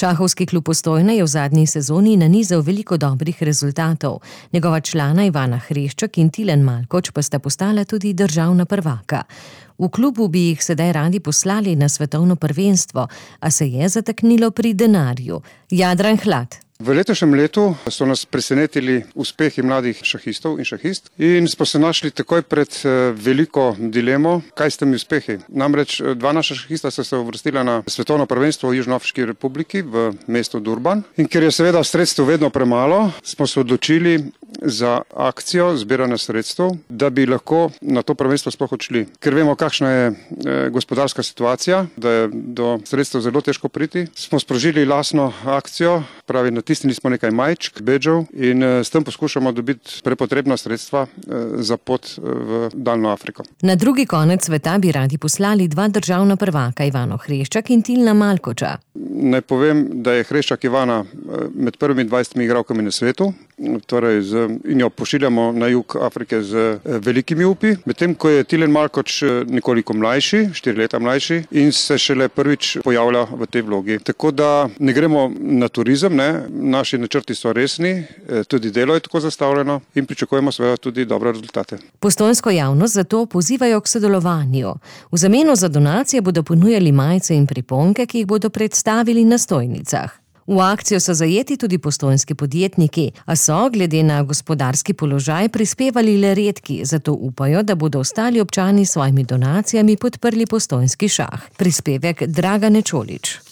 Šahovski klub Postojna je v zadnji sezoni nanizal veliko dobrih rezultatov. Njegova člana Ivana Hrešček in Tilen Malkoč pa sta postala tudi državna prvaka. V klubu bi jih sedaj radi poslali na svetovno prvenstvo, a se je zataknilo pri denarju. Jadran Hlad. V letošnjem letu so nas presenetili uspehi mladih šahistov in šahist in smo se našli takoj pred veliko dilemo, kaj s temi uspehi. Namreč dva naša šahista so se uvrstila na svetovno prvenstvo v Južnoafriški republiki v mestu Durban in ker je seveda sredstev vedno premalo, smo se odločili za akcijo zbiranja sredstev, da bi lahko na to prvenstvo sploh odšli. Ker vemo, kakšna je gospodarska situacija, da je do sredstev zelo težko priti, smo sprožili lastno akcijo, pravi natisnili smo nekaj majčk, bedžev in s tem poskušamo dobiti prepotrebna sredstva za pot v daljno Afriko. Na drugi konec sveta bi radi poslali dva državna prvaka, Ivano Hreščak in Tilna Malkoča. Naj povem, da je Hreščak Ivana med prvimi 20 igralkami na svetu, torej in jo pošiljamo na jug Afrike z velikimi upi, medtem ko je Tilen Malkoč nekoliko mlajši, 4 leta mlajši in se šele prvič pojavlja v tej vlogi. Tako da ne gremo na turizem, naši načrti so resni, tudi delo je tako zastavljeno in pričakujemo seveda tudi dobre rezultate. Postojnsko javnost zato pozivajo k sodelovanju. V zameno za donacije bodo ponujali majice in priponke, ki jih bodo predstavili na stojnicah. V akcijo so zajeti tudi postojnski podjetniki, a so, glede na gospodarski položaj, prispevali le redki, zato upajo, da bodo ostali občani s svojimi donacijami podprli postojnski šah. Prispevek Dragane Čolič.